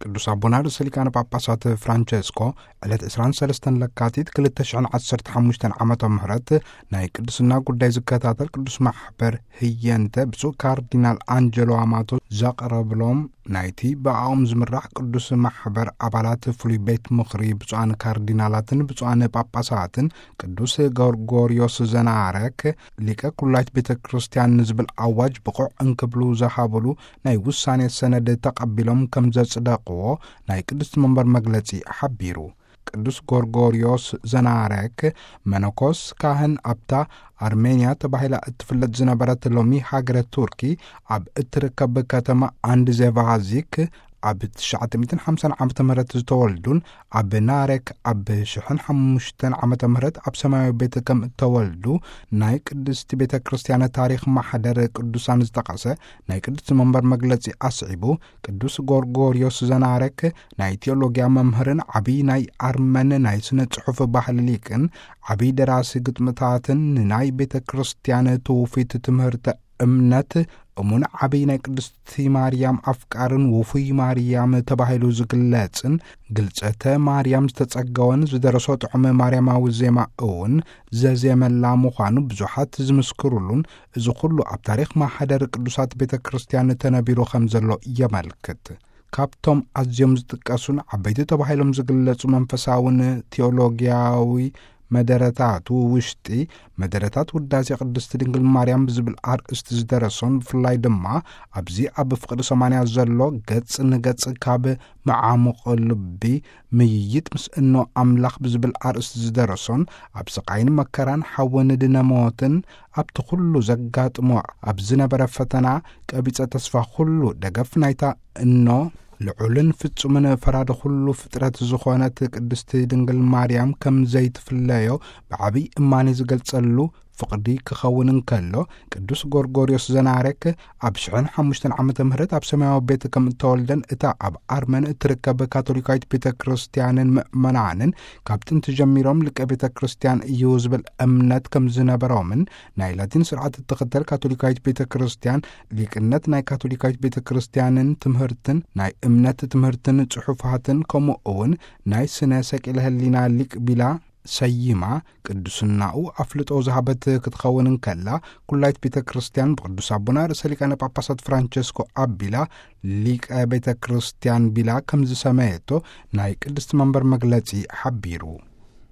ቅዱስ ኣቦና ርእሰ ሊቃነ ጳጳሳት ፍራንቸስኮ ዕለት ዕስራን ሰለስተን ለካቲት ክልተ ሽሕን ዓሰርተ ሓሙሽተን ዓመተ ምህረት ናይ ቅዱስና ጉዳይ ዝከታተል ቅዱስ ማሕበር ህየንተ ብፁዕ ካርዲናል ኣንጀሎ ኣማቶ ዘቕረብሎም፣ ናይቲ ብኣኦም ዝምራሕ ቅዱስ ማሕበር ኣባላት ፍሉይ ቤት ምኽሪ ብፁዓን ካርዲናላትን ብፁዓን ጳጳሳትን ቅዱስ ጎርጎርዮስ ዘናረክ ሊቀ ኩላይት ቤተ ክርስቲያን ንዝብል ኣዋጅ ብቑዕ እንክብሉ ዝሃብሉ ናይ ውሳኔ ሰነድ ተቐቢሎም ከም ዘጽደቕዎ ናይ ቅድስቲ መንበር መግለጺ ሓቢሩ። ቅዱስ ጎርጎርዮስ ዘናረክ መነኮስ ካህን ኣብታ ኣርሜንያ ተባሂላ እትፍለጥ ዝነበረት ሎሚ ሃገረ ቱርኪ ኣብ እትርከብ ከተማ ኣንድ ዜቫዚክ ኣብ ትሽዓተ ሚእትን ሓምሳን ዓመተ ምህረት ዝተወልዱን ኣብ ናረክ ኣብ ሽሕን ሓሙሽተን ዓመተ ምህረት ኣብ ሰማያዊ ቤት ከም እተወልዱ ናይ ቅድስቲ ቤተ ክርስቲያን ታሪኽ ማሕደር ቅዱሳን ዝጠቐሰ ናይ ቅድስቲ መንበር መግለጺ ኣስዒቡ፣ ቅዱስ ጎርጎርዮስ ዘናረክ ናይ ቴዎሎጊያ መምህርን ዓብዪ ናይ ኣርመን ናይ ስነ ጽሑፍ ባህሊ ሊቅን ዓብዪ ደራሲ ግጥምታትን ንናይ ቤተ ክርስቲያን ትውፊት ትምህርተ እምነት እሙን ዓብዪ ናይ ቅድስቲ ማርያም ኣፍቃርን ውፉይ ማርያም ተባሂሉ ዝግለጽን ግልጸተ ማርያም ዝተጸገወን ዝደረሶ ጥዑም ማርያማዊ ዜማ እውን ዘዜመላ ምዃኑ ብዙሓት ዝምስክሩሉን፣ እዚ ኩሉ ኣብ ታሪኽ ማሕደር ቅዱሳት ቤተ ክርስቲያን ተነቢሩ ከም ዘሎ የመልክት። ካብቶም ኣዝዮም ዝጥቀሱን ዓበይቲ ተባሂሎም ዝግለጹ መንፈሳውን ቴዎሎጊያዊ መደረታቱ ውሽጢ መደረታት ውዳሴ ቅድስቲ ድንግል ማርያም ብዝብል ኣርእስቲ ዝደረሶን፣ ብፍላይ ድማ ኣብዚ ኣብ ፍቕሪ ሰማንያ ዘሎ ገጽ ንገጽ ካብ መዓሙቕ ልቢ ምይይጥ ምስ እኖ ኣምላኽ ብዝብል ኣርእስቲ ዝደረሶን፣ ኣብ ስቓይን መከራን ሓውን ድነ ሞትን ኣብቲ ኩሉ ዘጋጥሞ ኣብ ዝነበረ ፈተና ቀቢጸ ተስፋ ኩሉ ደገፍ ናይታ እኖ ልዑልን ፍጹምን ፈራዲ ኩሉ ፍጥረት ዝኾነት ቅድስቲ ድንግል ማርያም ከም ዘይትፍለዮ ብዓብይ እማኒ ዝገልጸሉ ፍቕዲ ክኸውን እንከሎ፣ ቅዱስ ጎርጎርዮስ ዘናረክ ኣብ ሽሕን ሓሙሽተን ዓመተ ምህረት ኣብ ሰማያዊ ቤት ከም እተወልደን እታ ኣብ ኣርመን እትርከብ ካቶሊካዊት ቤተ ክርስቲያንን ምእመናንን ካብ ጥንቲ ጀሚሮም ሊቀ ቤተ ክርስቲያን እዩ ዝብል እምነት ከም ዝነበሮምን፣ ናይ ላቲን ስርዓት እትኽተል ካቶሊካዊት ቤተ ክርስቲያን ሊቅነት ናይ ካቶሊካዊት ቤተ ክርስቲያንን ትምህርትን ናይ እምነት ትምህርትን ጽሑፋትን ከምኡ እውን ናይ ስነ ሰቂለ ህሊና ሊቅ ቢላ ሰይማ ቅዱስናኡ ኣፍልጦ ዝሃበት ክትኸውን እንከላ፣ ኩላይት ቤተ ክርስቲያን ብቅዱስ ኣቦና ርእሰ ሊቃነ ጳጳሳት ፍራንቸስኮ ኣቢላ ሊቀ ቤተ ክርስቲያን ቢላ ከም ዝሰመየቶ ናይ ቅድስቲ መንበር መግለጺ ሓቢሩ።